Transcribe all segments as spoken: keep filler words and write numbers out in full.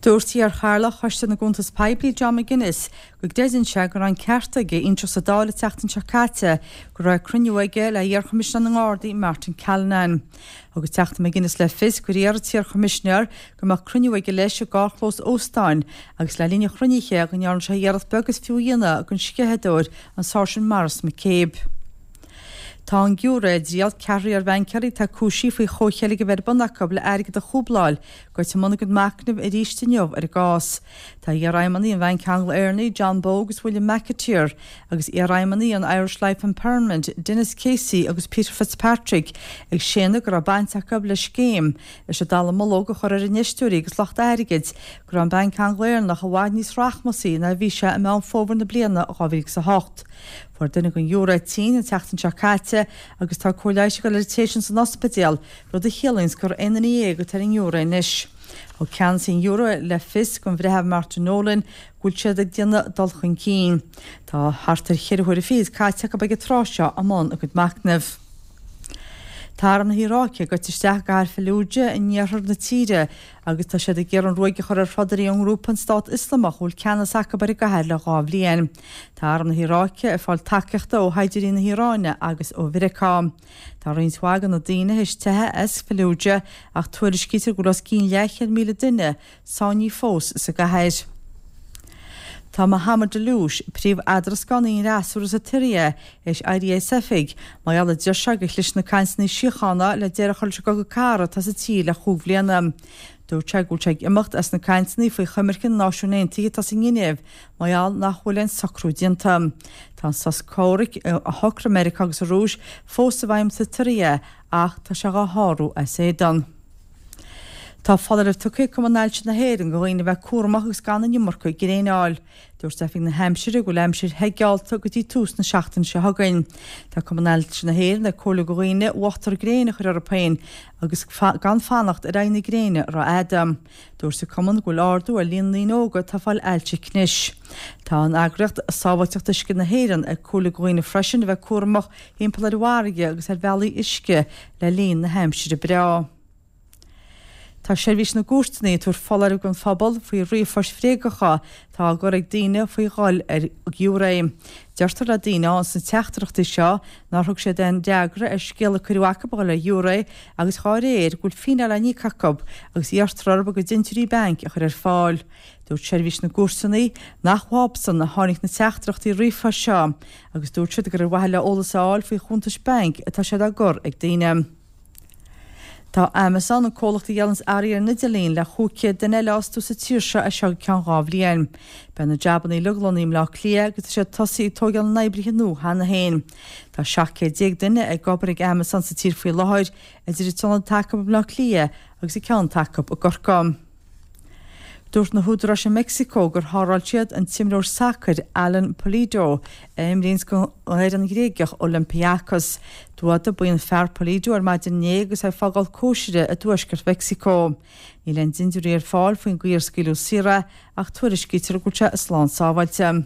Dúirt iar-chathaoirleach Choiste na gCuntas Poiblí John McGuinness go gcreideann sé go raibh an ceart aige inseacht sa Dáil an tseachtain seo caite go raibh cruinniú aige le iar-Choimisinéir na nGardaí Martin Callinan. Thug an Teachta McGuinness le fios gur iarr an t-iar-Choimisinéir go mbeadh cruinniú aige leis i gcarrchlós óstáin agus le linn an chruinnithe go ndearna sé iarracht beag is fiú a dhéanamh den sceitheadóir an Sáirsint Maurice McCabe. Tá an giúiré i dtriail ceathrar iar-bhaincéirí atá cúisithe faoi chomhcheilg a bheith ar bun acu le airgead a chúbláil goite i mbun a gcuid machnaimh arís inniu ar an gcás. Tá iarfheidhmeannaigh an Bhainc Angla-Éireannaigh John Bogue agus William McAteer agus iarfheidhmeannaigh an Irish Life and Permanent Denis Casey agus Peter Fitzpatrick ag séanadh go raibh baint acu le scéim leis an dallamullóg a chur ar infheisteoirí agus lucht airgid go raibh an Banc Angla-Éireannach i bhfad níos rachmasaí ná a bhí sé i Meán Fómhair na bliana dhá mhíle agus a hocht. Fuair duine den ghiúiré tinn an tseachtain seo caite agus tá cóir leighis ag dul ar an té sin san ospidéal, rud a chiallaíonn gur aon duine dhéag atá ar an ngiúiré anois. Thug ceannasaí an ghiúiré le fios don Bhreitheamh Martin Nolan go bhfuil siad ag déanamh dul chun cinn. Tá thart ar cheithre huaire fichead caite acu ag an tráth seo i mbun a gcuid machnaimh. Tá arm na hIaráice goite isteach i gcathair Fallujah in iarthar na tíre agus tá siad ag iarraidh an ruaig a chur ar throdairí ón ngrúpa an Stát Ioslamach a bhfuil ceannas acu ar an gcathair le dhá bhliain. Tá arm na hIaráice ag fáil tacaíochta ó shaighdiúirí na hIaráine agus ó Mheiriceá. Tá roinnt mhaith de na daoine théis teitheadh as Fallujah ach tuairiscítear go bhfuil os cionn leathchéad míle duine sáinnithe fós sa gcathair. Tá Mohammed Alloush, príomh-eadrascánaí an fhreasúra sa tSiria, théis éirí as oifig mar gheall a deir sé gur chlis na cainteanna síochána le deireadh a chur leis an gcogadh cathartha atá sa tír le chúig bhliana. Dúirt sé go bhfuil sé ag imeacht as na cainteanna faoi choimirce na Náisiún Aontaithe atá sa nGinéiv mar gheall nach bhfuil aon socrú déanta. Tá an sos comhraic a shocraigh Meiriceá agus an Rúis fós i bhfeidhm sa tSiria ach tá sé dhá shárú as éadan. Tá foláireamh tugtha ag Cumann Ailse na hÉireann do dhaoine a bheith cúramach agus gan an iomarca gréine a fháil. Dúirt Oifig na hAimsire go bhfuil aimsir the geallta go dtí tús na seachtaine seo chugainn. Tá Cumann Ailse na hÉireann ag comhairliú do dhaoine uachtar gréine a chur orthu féin agus gan fanacht ar aghaidh na gréine rófhada. Dúirt an Cumann go bhfuil ardú ar líon na ndaoine óga atá ag fáil ailse cnis. Tá an eagraíocht Sábháilteacht Uisce na hÉireann ag comhairliú do dhaoine freisin a bheith cúramach timpeall ar an bhfarraige agus ar bhealaí uisce le linn na haimsire breá. Tá seirbhís na gcúirteanna ag tabhairt foláireamh don phobal faoi ríomhphoist bhréagacha atá á gcur ag daoine faoi dhul ar ghiúiré. Deirtear le daoine ann sna teachtaireachtaí seo nár thug siad aon fhreagra ar scéal a cuireadh acu a dhul ar ghiúiré agus dhá réir go bhfuil fíneáil á n-íoc acu agus iarrtar orthu a gcuid dintiúirí bainc a chur ar fáil. Dúirt seirbhís na gcúirteanna nach uathusan a tháinig na teachtaireachtaí ríomhphoist seo agus dúirt siad gur ar mhaithe le eolas a fháil faoi chuntais bainc atá siad á gcur ag daoine. Tá Amazon, an comhlacht a dhíolanns earraí ar an idirlíon, le chúig chéad duine eile a fhostú sa tír seo as seo go ceann dhá bhliain. Beidh na jabanna uilig lonnaithe i mBleá Cliath agus tá siad tosaithe ag tóigeáil na n-oibrithe nua cheana féin. Tá seacht gcéad déag duine ag obair ag Amazon sa tír faoi láthair, idir an t-ionad atá acu i mBleá Cliath agus an ceann atá acu i gCorcaigh. Dúirt na húdaráis i Meicsiceo gur sháráil siad an t-imreoir sacair Alan Pulido, a imríonns don fhoireann Ghréigeach Olympiacos. D'fhuadaigh buíon fear Pulido ar maidin inné agus é ag fágáil cóisire i dtuaisceart Mheicsiceo. Níl aon dintiúirí ar fáil faoin gcaoi ar scaoileadh saor é ach tuairiscítear go bhfuil sé slán sábháilte.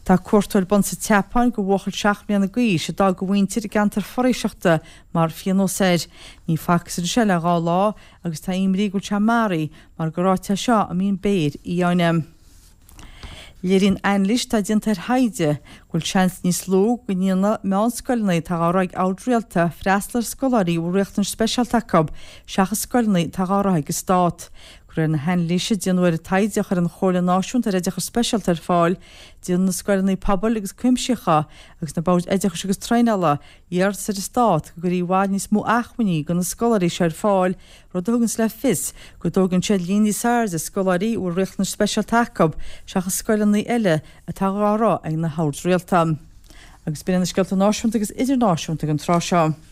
Tá cuartú ar bun sa tSeapáin do bhuachaill seacht mbliana d'aois a d'fhág a mhuintir i gceantar foraoiseachta mar phionós air. Ní facthas arís é le dhá lá agus tá imní go bhfuil sé maraithe mar gur áit é seo a mbíonn béir fhiáine. Léiríonn anailís atá déanta ar thaighde go bhfuil seans níos lú go ndéanfaidh meánscoileanna atá á rith ag oird rialta freastal ar scoláirí a bhfuil riachtanais speisialta acu seachas scoileanna atá á rith ag an stát. De réir na hanailíse a déanadh ar an taighde a chuir an Chomhairle Náisiúnta ar Oideachas Speisialta ar fáil, déanann na scoileanna pobail agus cuimsitheacha agus na boird oideachais agus traenála iarratas ar an Stát go gcuirfí i bhfad níos mó acmhainní do na scoláirí seo ar fáil, rud a thuganns le fios go dtógann siad líon níos airde scoláirí a bhfuil riachtanais speisialta acu seachas scoileanna eile atá á rith ag na hoird rialta. Agus b'in iad na scéalta náisiúnta agus idirnáisiúnta ag an tráth seo.